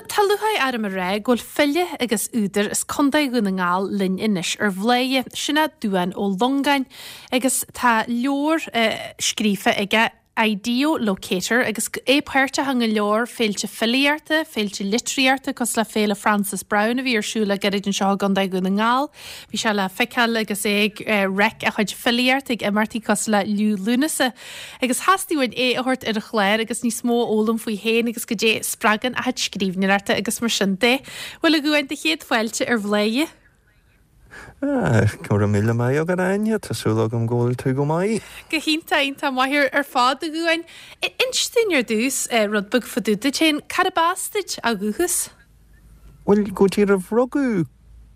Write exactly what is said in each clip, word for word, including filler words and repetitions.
tá lúcháir orm a rá go bhfuil file agus údar as Contae Dhún na nGall linn anois ar Bhladhaire, sin é Dubhán Ó Longáin, agus tá leabhar uh, scríofa aige Ideolocator agus é páirteach in go leor féilte filíochta, féilte litríochta cosúil le Féile Frances Browne a bhí ar siúl le gairid anseo i gContae Dhún na nGall. Bhí sé le feiceáil agus é ag uh, reic a chuid filíochta ag imeachtaí cosúil le Liú Lúnasa. Agus theastaigh uainn é a thabhairt ar an chlár agus níos mó a fhoghlaim faoi féin agus goidé a spreagann a chuid scríbhneoireachta agus mar sin de. Bhuel a Dhubháin do chéad fáilte ar Bhladhaire. Ah, go raibh míle maith agat Áine, tá súil agam go bhfuil tú go maith. Go hiontach iontach maith ar fad a Dhubháin. Inis dúinn ar dtús rud beag fá dtaobh duit féin, cárb as duit ó dhúchas? Well go díreach rugadh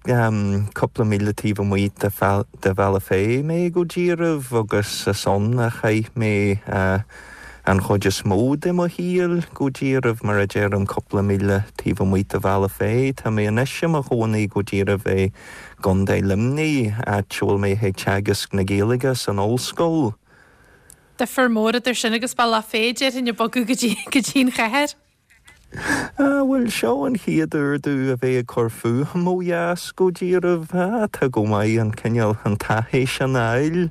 um, cúpla míle taobh amuigh de de Bhealach Féich mé go díreach agus is ann a chaith mé uh, an chuid is mó de mo shaol go díreach mar a deirim cúpla míle taobh amuigh de Bhealach Féich, Tá mé anois i mo chónaí go díreach i gContae Luimnigh áit a bhfuil mé ag teagasc na Gaeilge san ollscoil. Difear mór idir sin agus Bealach Féich déarfainn ag bogadh go dtí go dtí an chathair. Ah, bhuel seo an chéad uair domh a bheith ag cur fúm ó dheas go díreach tá go maith an cineál an taithí sin a fháil.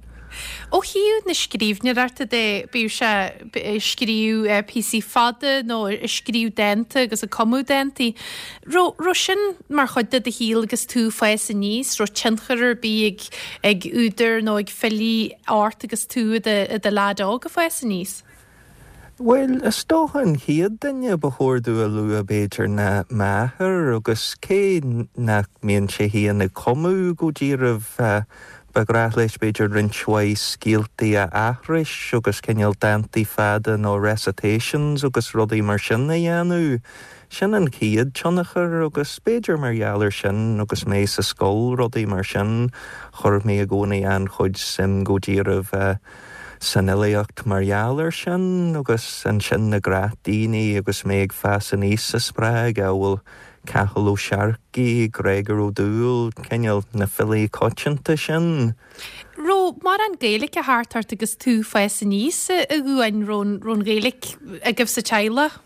Ó thaobh na scríbhneoireachta de bíodh sé scríobh píosaí fada nó scríobh dánta agus ag cumadh dántaí. Raibh sin mar chuid de do shaol agus tú ag fás aníos, raibh tionchar ar bith ag ag údair nó ag filí ort agus tú i do leaid óg ag fás aníos. Well, is dócha an chéad duine ba chóir domh a lua b'fhéidir ná m'athair agus cé nach mbíonn sé féin ag cumadh go díreach uh, ba ghnách leis b'fhéidir roinnt mhaith scéaltaí a aithris agus cineál dántaí fada nó recitations agus rudaí mar sin a dhéanamh. Sin an chéad tionchar agus b'fhéidir mar gheall air sin agus mé sa scoil rudaí mar sin chuir mé i gcónaí an-chuid suim go díreach uh, san fhilíocht mar gheall air sin agus ansin na gnáthdhaoine agus mé ag fás aníos a spreag a bhfuil Cathal Ó Searcaigh, Gregor Ó Dúill, cineál na filí coitianta sin. Raibh mórán Gaeilge thart ort agus tú ag fás aníos a Dhubháin raibh an Ghaeilge agaibh sa teaghlach?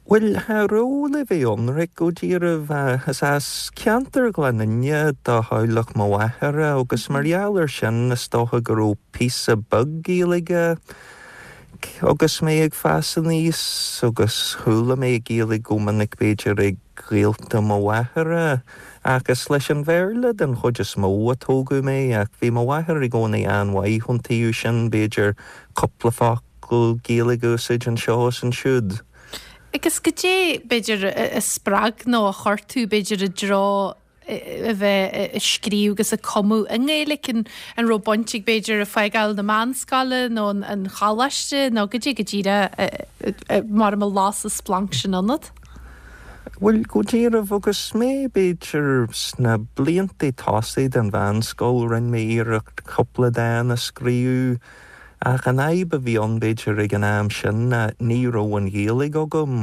Well cha raibh le bheith ionraic go díreach is as ceantar Ghleann Fhinne do theaghlach mo mháthara agus mar gheall air sin is dócha go raibh píosa beag Gaeilge agus mé ag fás aníos agus chuala mé Gaeilge go minic b'fhéidir ag gaolta mo mháthara agus leis an Bhéarla den chuid is mó a tógadh mé ach bhí mo mháthair i gcónaí an-mhaith ón taobh sin b'fhéidir cúpla focal Gaeilge a úsáid anseo is ansiúd. Agus goidé b'fhéidir a spreag nó a chuir tú b'fhéidir i dtreo a bheith ag scríobh agus ag cumadh i nGaeilge an an raibh baint ag b'fhéidir ag fágáil na meánscoile nó an choláiste nó goidé go díreach mar a las an splanc sin ionat? Well go díreach agus mé b'fhéidir sna blianta tosaigh den mheánscoil rinne mé iarracht cúpla dán a scríobh ach an fhadhb a bhí ann b'fhéidir ag an am sin ní raibh an Ghaeilge agam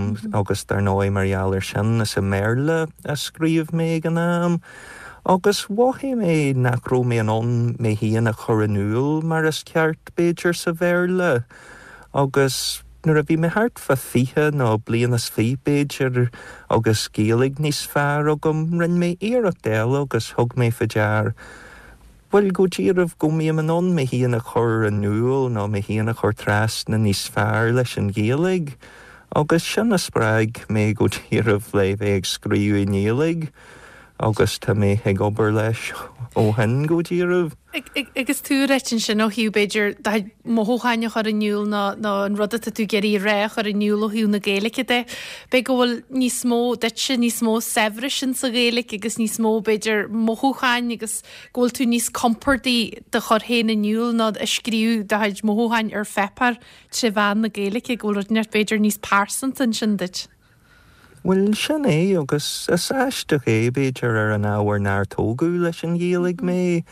agus dar ndóigh mar gheall air sin is i mBéarla a scríobh mé ag an am. Agus mhothaigh mé nach raibh mé in ann mé féin a chur in iúl mar is ceart b'fhéidir sa Bhéarla. Agus nuair a bhí mé thart fá fiche nó bliain is fiche b'fhéidir agus Gaeilge níos fearr agam rinne mé iarracht eile agus thug mé faoi dear. Well go díreach go mbím in ann mé féin a chur in iúl nó mé féin a chur trasna níos fearr leis an Ghaeilge, agus sin a spreag mé go díreach le bheith ag scríobh i nGaeilge, agus tá mé ag obair leis ó shin go díreach. Agus tú ag ráit ansin ó thaobh b'fhéidir mothúcháin a chur in iúl nó an rud atá tú ag iarraidh a rá a chur in iúl ó thaobh na Gaeilge de. B'fhéidir go bhfuil níos mó duitse níos mó saibhris insa Ghaeilge agus níos mó b'fhéidir mothúcháin agus go bhfuil tú níos compordaí do chur féin in iúl ná a scríobh do chuid mothúcháin ar pháipéar trí mheán na Gaeilge go bhfuil rud inteacht b'fhéidir níos pearsanta ansin duit. Well sin é agus is aisteach é b'fhéidir ar an ábhar nár tógadh leis an Ghaeilge mé,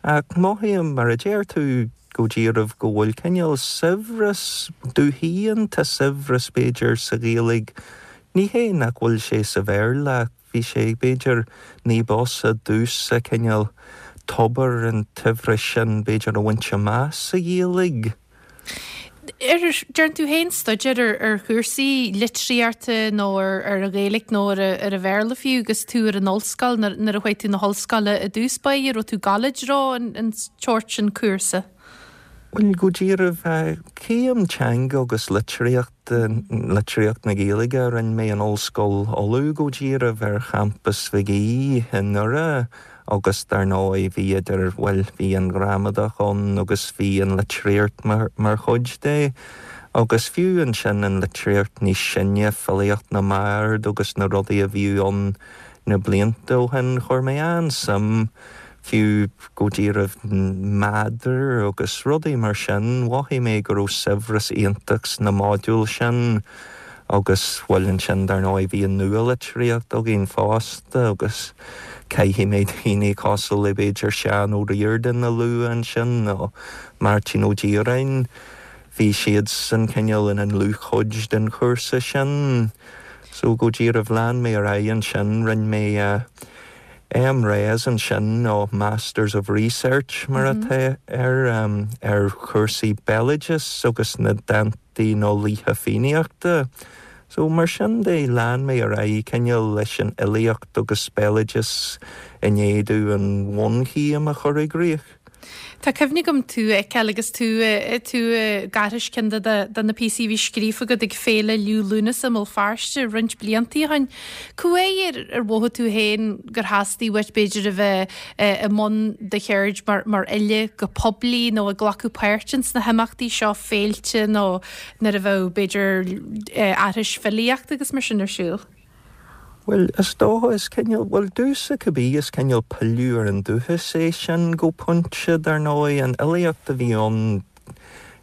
ach mothaím mar a deir tú go díreach go bhfuil cineál saibhreas domh féin tá saibhreas b'fhéidir sa Ghaeilge. Ní hé nach bhfuil sé sa Bhéarla, bhí sé b'fhéidir ní b'fhusa domhsa cineál tobar an tsaibhris sin b'fhéidir a bhaint amach sa Ghaeilge. Ar ndearna tú féin staidéar ar ar chúrsaí litríochta nó ar ar an Ghaeilge nó ar ar an Bhéarla fiú agus tú ar an ollscoil nuair a chuaigh tú na hollscoile i dtús báire, raibh tú ag gabháil i dtreo an an tsórt sin cúrsa? Bhuel go díreach céim teanga agus litríocht litríocht na Gaeilge a rinne mé in Ollscoil Uladh go díreach ar champas Mhig Aoidh i nDoire agus dar ndóigh bhí idir bhuel bhí an ghramadach ann agus bhí an litríocht mar mar chuid de. Agus fiú ansin an litríocht níos sine, filíocht na mbard agus na rudaí a bhí ann na blianta ó shin, chuir mé an-suim fiú go díreach meadar agus rudaí mar sin, mhothaigh mé go raibh saibhreas iontach sna modúil sin agus bhuel ansin dar ndóigh bhí an nualitríocht againn fosta agus caithfidh mé daoine cosúil le b'fhéidir Seán Ó Ríordáin a lua ansin nó Máirtín Ó Direáin, bhí siad san cineál ina ndlúthchuid den chúrsa sin. So go díreach lean mé ar aghaidh ansin, rinne mé MRes ansin nó Masters of Research mar atá ar ar chúrsaí béaloidis agus na dántaí nó laoithe Fiannaíochta. So mar sin de lean mé ar aghaidh cineál leis an fhilíocht agus béaloideas i ndiaidh domh an bhunchéim a chur i gcrích. Tá cuimhne agam tú a fheiceáil agus tú tú ag aithris ceann de de na píosaí a bhí scríofa agat ag Féile Liú Lúnasa i mBéal Feirste roinnt blianta ó shin. Cá huair ar mhothaigh tú féin gur theastaigh uait b'fhéidir a bheith i mbun do cheird mar mar fhile go poiblí nó ag glacadh páirt ins na himeachtaí seo féilte nó nuair a bheadh b'fhéidir aithris filíochta agus mar sin ar siúl? Bhuel, is dócha is cineál, bhuel domhsa cibé is cineál pilleadh ar an dúchas é sin go pointe dar ndóigh, an fhilíocht a bhí ann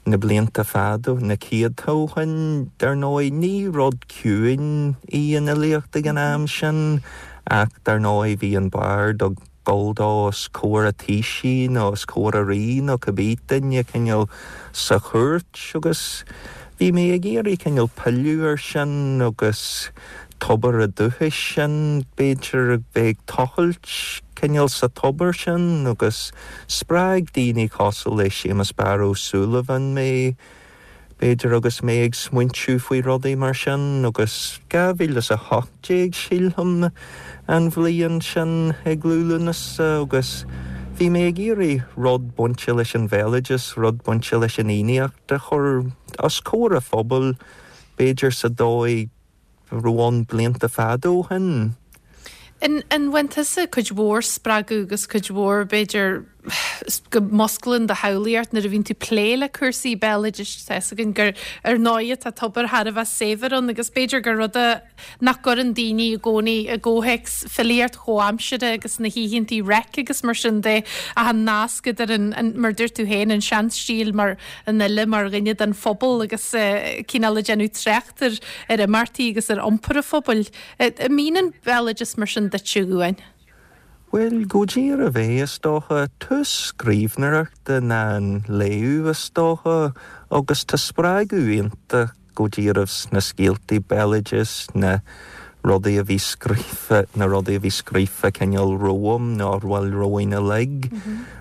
na blianta fada, na céadta ó shin, dar ndóigh ní rud ciúin í an fhilíocht ag an am sin ach dar ndóigh bhí an bard ag dul dó os comhair an taoisigh nó os comhair an rí nó cibé duine cineál sa chúirt agus bhí mé ag iarraidh cineál pilleadh air sin agus tobar an dúchais sin, b'fhéidir a bheith ag tochailt cineál sa tobar sin agus spreag daoine cosúil le Séamus Barra Ó Súilleabháin mé, b'fhéidir agus mé ag smaointiú faoi rudaí mar sin agus dhá mhíle is a hocht déag sílim an bhliain sin ag Liú Lúnasa agus bhí mé ag iarraidh rud bainte leis an bhéaloideas, rud bainte leis an Fhiannaíocht a chur os comhair an phobail, b'fhéidir sa dóigh a raibh ann blianta fada ó shin. An an bhain tusa cuid mhór spreagadh agus cuid mhór b'fhéidir go musclaíonn do shamhlaíocht nuair a bhíonn tú plé le cúrsaí béaloidis tá fhios againn gur ar ndóigh tá tobar thar a bheith saibhir ann agus b'fhéidir gur rud é nach gcuireann daoine i gcónaí i gcomhthéacs filíocht chomhaimseartha agus na hoícheantaí reic agus mar sin de ach an nasc idir an, an mar dúirt tú féin an seanstíl mar an fhile mar dhuine den phobal agus uh, cineál ag déanamh trácht ar ar imeachtaí agus ar iompar an phobail. An mbíonn an béaloideas mar sin duitse uain? Bhuel, go díreach é is dócha tús scríbhneoireachta ná an léamh is dócha agus tá spreagadh iontach go díreach sna scéaltaí béaloidis, na rudaí a bhí scríofa, na rudaí a bhí scríofa cineál romham nó bhuel romhainn uilig.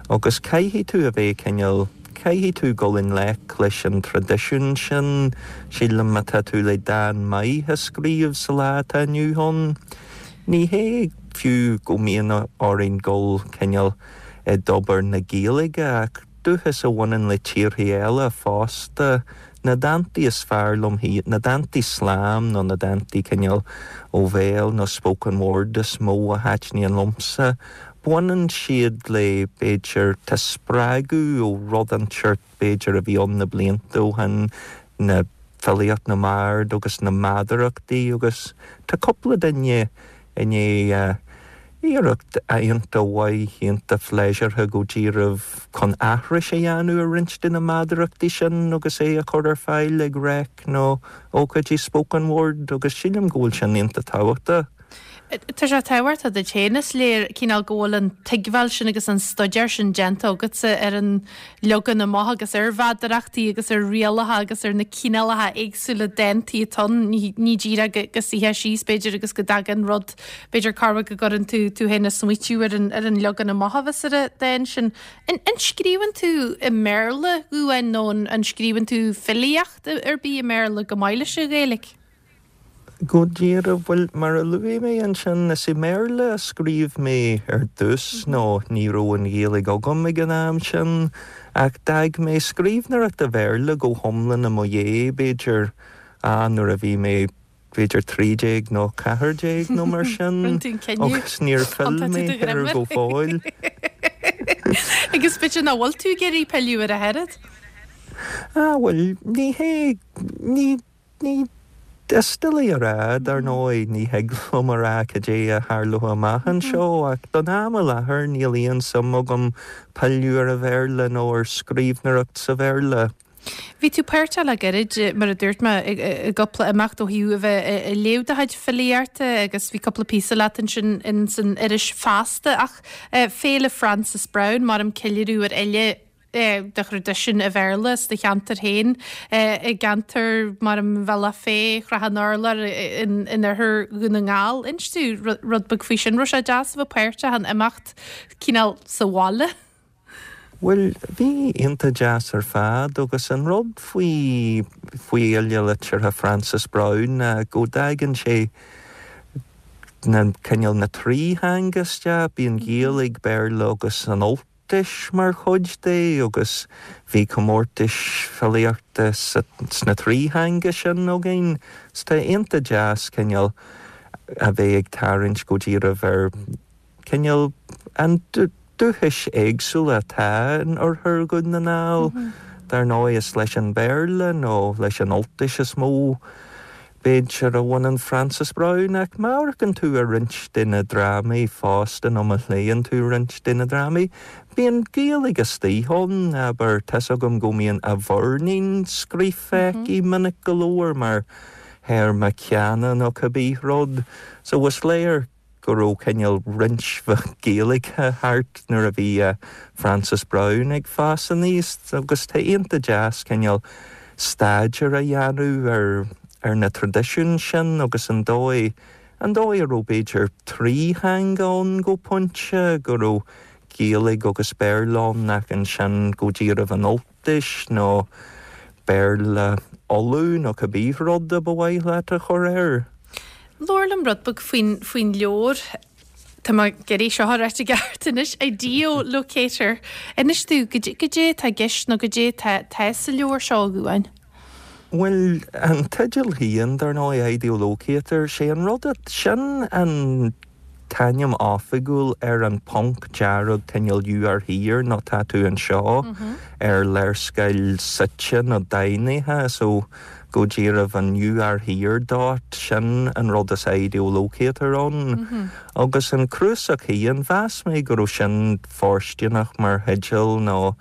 Agus caithfidh tú a bheith cineál, caithfidh tú dul i ngleic leis an traidisiún sin, sílim má tá tú le dán maith a scríobh sa lá atá inniu ann. Ní hé fiú go mbíonn orainn dul cineál i dtobar na Gaeilge ach dúchas a bhaineann le tíortha eile fosta, na dántaí is fearr liom na dántaí slam nó na dántaí cineál ó bhéal nó spoken word is mó a thaitníonn liomsa. Baineann siad le b'fhéidir tá spreagadh ó rud inteacht b'fhéidir a bhí ann na blianta ó shin, na filíocht na mbard agus na meadarachtaí agus tá cúpla duine i ndiaidh iarracht iontach mhaith iontach phléisiúrtha go díreach chun aithris a dhéanamh ar roinnt de na meadarachtaí sin agus é a chur ar fáil ag reic nó ócáidí spoken word agus sílim go bhfuil sin iontach tábhachtach. Tá sé tábhachtach duit féin is léir cineál go bhfuil an tuigbheáil sin agus an staidéar sin déanta agatsa ar an leagan amach agus ar mheadarachtaí agus ar rialacha agus ar na cineálacha éagsúla dántaí atá ann. Ní díreach go go suífeá síos b'fhéidir agus go dtagann rud b'fhéidir corruair go gcuireann tú tú féin ag smaoitiú ar an ar an leagan amach a bheas ar an dán sin. An an scríobhann tú i mBéarla a Dhubháin nó an an scríobhann tú filíocht ar bith i mBéarla go maith leis an Ghaeilge? Go díreach, bhuel, mar a luaigh mé ansin, is i mBéarla a scríobh mé ar dtús nó ní raibh an Ghaeilge agam ag an am sin, ach d'fhág mé scríbhneoireacht i Bhéarla go hiomlán i mo dhiaidh, b'fhéidir, ah, nuair a bhí mé b'fhéidir trí déag nó ceathair déag nó mar sin, agus níor phill mé air go fóill. Agus b'fhéidir nach bhfuil tú ag iarraidh pilleadh air ach oiread? Ah, bhuel, ní hé, ní, ní, Is doiligh a rá, dar ndóigh, ní thig liom a rá cad é a tharlóidh amach anseo, ach don am i láthair níl aon suim agam pilleadh ar an Bhéarla nó ar scríbhneoireacht sa Bhéarla. Bhí tú páirteach le gairid, mar a dúirt mé, i gcúpla imeacht ó thaobh a bheith ag léamh do chuid filíochta agus bhí cúpla píosa leat ansin in san iris Feasta ach Féile Frances Browne, mar ceiliúradh ar fhile de thraidisiún an Bhéarla sa cheantar féin i gceantar mar an Bhealach Féich, Shrath an Urláir in oirthear Dhún na nGall. Inis dúinn rud beag faoi sin, raibh sé deas a bheith páirteach in imeacht cineál sa bhaile. Bhuel, bhí iontach deas ar fad agus an rud faoi faoi Fhéile Liteartha Frances Browne ná go dtagann sé na cineál na trí theanga isteach, bíonn Gaeilge, Béarla agus an Ultais mar chuid de agus bhí comórtais filíochta sna trí theanga sin againn. So tá iontach deas cineál a bheith ag tarraingt go díreach ar cineál an dúchais éagsúla atá in oirthear Dhún na nGall. Dar ndóigh is leis an Béarla nó leis an Ultais is mó b'fhéidir a bhaineann Frances Browne ach má amharcann tú ar roinnt de na drámaí fosta nó má léann tú roinnt de na drámaí, bíonn Gaeilge istigh ann, abair, tá's agam go mbíonn a mhuirnín scríofa aici minic go leor mar théarma ceana nó cibé rud. So is léir go raibh cineál roinnt mhaith Gaeilge thart nuair a bhí Frances Browne ag fás aníos agus tá iontach deas cineál staidéar a dhéanamh ar ar na traidisiúin sin agus an dóigh an dóigh a raibh b'fhéidir trí theanga ann go pointe, go raibh Gaeilge agus Béarla ann ach ansin go díreach an Ultais nó Béarla Uladh nó cibé rud a ba mhaith leat a chur air. Labhair liom rud beag faoin faoin leabhar. Tá mé ag iarraidh seo a ráit i gceart anois, Ideolocator. Inis dúinn goidé atá i gceist nó goidé atá sa leabhar seo a Dhubháin. Bhuel, an teideal féin, dar ndóigh, Ideolocator, sé an rud sin an t-ainm oifigiúil ar an ponc dearg cineál you are here nó tá tú anseo ar léarscáil suite nó deimhnithe so go díreach an you are here dot sin an rud is Ideolocator ann. Agus an cnuasach féin, mheas mé go raibh sin fóirsteanach mar theideal nó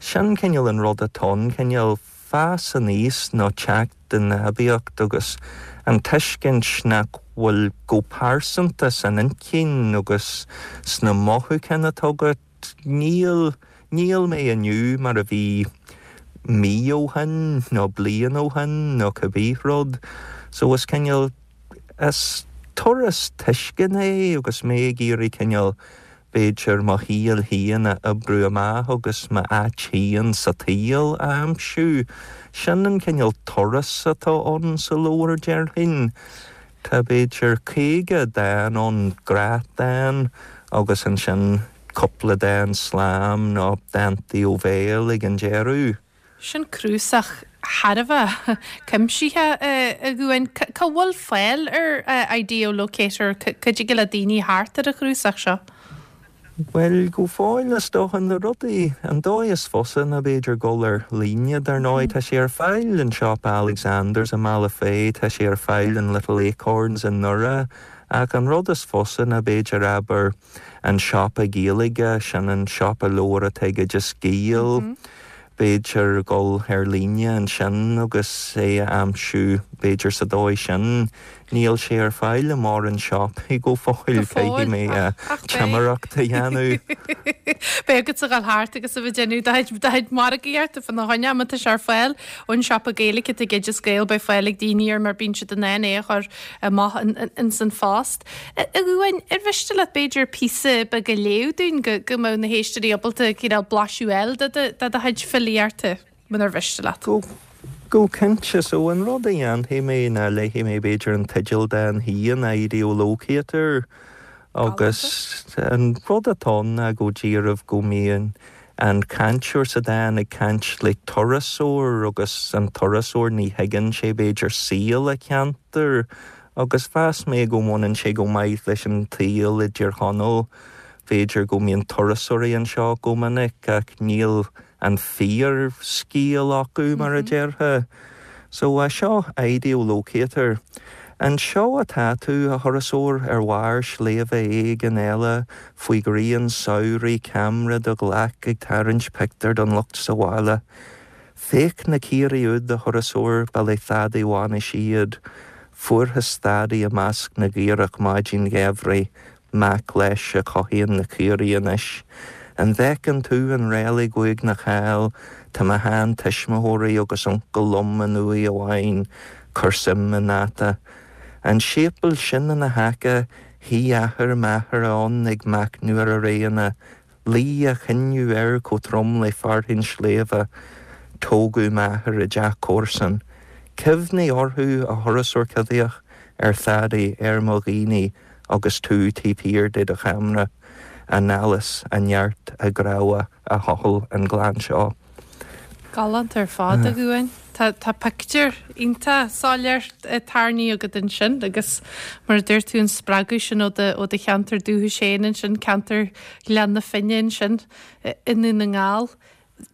sin cineál an rud atá ann, cineál fás aníos nó teacht in aibíocht agus an tuiscint nach bhfuil go pearsanta san intinn agus sna mothúcháin atá agat, níl, níl mé inniu mar a bhí mí ó shin nó bliain ó shin nó cibé rud. So is cineál, is turas tuisceana é agus mé ag iarraidh cineál b'fhéidir mo shaol féin a oibriú amach agus m'áit féin sa tsaol a aimsiú. Sin an cineál turas atá ann sa leabhar, déarfainn. Tá b'fhéidir caoga dán ann, gnáthdhán agus ansin cúpla dán slam nó dántaí ó bhéal ag an deireadh. Sin cnuasach thar a bheith cuimsitheach a Dhubháin. Cá bhfuil fáil ar Ideolocator? Cá dtig le daoine theacht ar an chnuasach seo? Bhuel, go fóill is dócha na rudaí, an dóigh is fusa ná b'fhéidir dul ar líne, dar ndóigh. Tá sé ar fáil in siopa Alexanders i mBealach Féich, tá sé ar fáil in Little Acorns i nDoire, ach an rud is fusa ná b'fhéidir abair an siopa Gaeilge, sin an siopa leabhar atá ag Oideas Gael, b'fhéidir dul ar líne ansin agus é a aimsiú b'fhéidir sa dóigh sin níl sé ar fáil i mórán siopaí go fóill caithfidh mé timireacht a dhéanamh. Beidh agat a ghabháil thart agus a bheith ag déanamh do chuid margaíochta fána choinne má tá sé ar fáil ón siopa Gaeilge ag Oideas Gael beidh fáil ag daoine air mar bíonn siad in ann é a chur amach ins an phost. A Dhubháin, ar mhiste leat b'fhéidir píosa beag a léamh dúinn go go mbeadh na héisteoirí ábalta cineál blaiseadh a fháil de de do chuid filíochta munar mhiste leat. Go Go cinnte so an rud a dhéanfaidh mé ná léifidh mé b'fhéidir an teideal den féin Ideolocator agus an rud atá ná go díreach go mbíonn an cainteoir sa dán ag caint le turasóir agus an turasóir ní thuigeann sé b'fhéidir saol a cheantair agus mheas mé go mbaineann sé go maith leis an tsaol i dTír Chonaill b'fhéidir go mbíonn turasóirí anseo go minic ach níl an fíorscéal acu mar a déarfá. So uh, seo Ideolocator. Anseo atá tú a thurasóir ar bharr sléibhe éigin eile faoi ghrian samhraidh ceamara i do ghlac ag tarraingt pictiúr don lucht sa bhaile. Féach na caoirigh úd a thurasóir ba le Thady Mhánais iad, fuarthas Thady i measc na gcaorach maidin gheimhridh, mac leis a chothaíonn na caoirigh anois. An bhfeiceann tú an reilig uaigneach thall, tá mo sheantuismitheoirí agus uncail liom in uaigh amháin, cuir suim i ndáta. An séipéal sin ina haice, shuigh athair m'athara ann ag machnamh ar a réanna, luigh a chinneadh air chomh trom le fearthainn sléibhe. Tógadh m'athair i dteach comharsan. Cuimhnigh orthu a thurasóir coimhthíoch ar Thady ar mo dhaoine agus tú taobh thiar de do cheamara, a n-allas, a neart, a gcrabhadh a thochail an gleann seo. Galánta ar fad a Dhubháin. Tá tá pictiúr iontach soiléir tarraingthe agat ansin agus mar a dúirt tú an spreagadh sin ó do ó do cheantar dúchais féin ansin ceantar Ghleann na Finne ansin i nDún na nGall.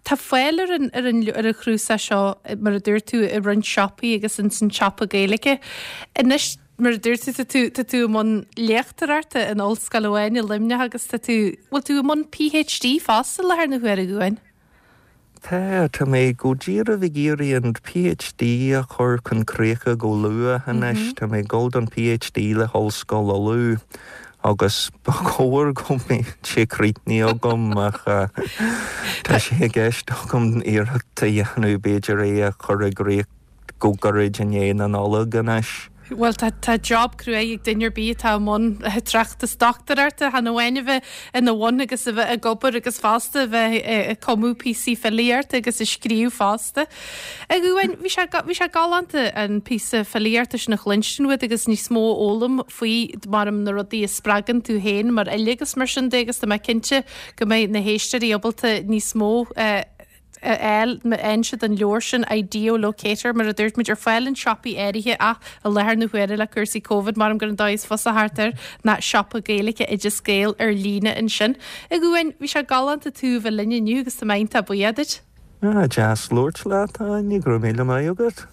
Tá fáil ar an ar an ar an chnuasach seo mar a dúirt tú i roinnt siopaí agus in san siopa Gaeilge. Anois mar a dúirt tú tá tú tá tú i mbun léachtóireachta in ollscoil amháin i Luimneach agus tá tú bhfuil tú i mbun PhD fosta le thar na huaire Dhubháin. Tá tá mé go díreach ag iarraidh an PhD a chur chun críche go luath anois Tá mé ag dul don PhD le hOllscoil Uladh agus ba chóir go mbeadh sé críochnaithe agam ach tá sé i gceist agam iarracht a dhéanamh b'fhéidir é a chur i gcrích go gairid i ndiaidh na Nollag anois. Well tá tá job cruaidh ag duine ar bith atá i mbun tráchtas dochtúireachta chan amháin a bheith ina bhun agus a bheith ag obair agus fosta a bheith ag cumadh píosaí filíochta agus ag scríobh fosta. A Dhubháin bhí sé bhí sé galánta an píosa filíochta sin a chluinstin uait agus níos mó a fhoghlaim faoi mar na rudaí a spreagann tú féin mar fhile agus mar sin de agus tá mé cinnte go mbeidh na héisteoirí ábalta níos mó uh, fháil má fhaigheann siad an leabhar sin Ideolocator mar a dúirt muid ar fáil in siopaí áirithe ach i láthair na huaire le cúrsaí Covid mar gur an dóigh is fusa thart air ná siopa Gaeilge Oideas Gael ar líne ansin. A Dhubháin bhí sé galánta tú bheith linn inniu agus tá mé iontach buíoch duit. Ah, deas labhairt leat Áine go raibh míle maith agat.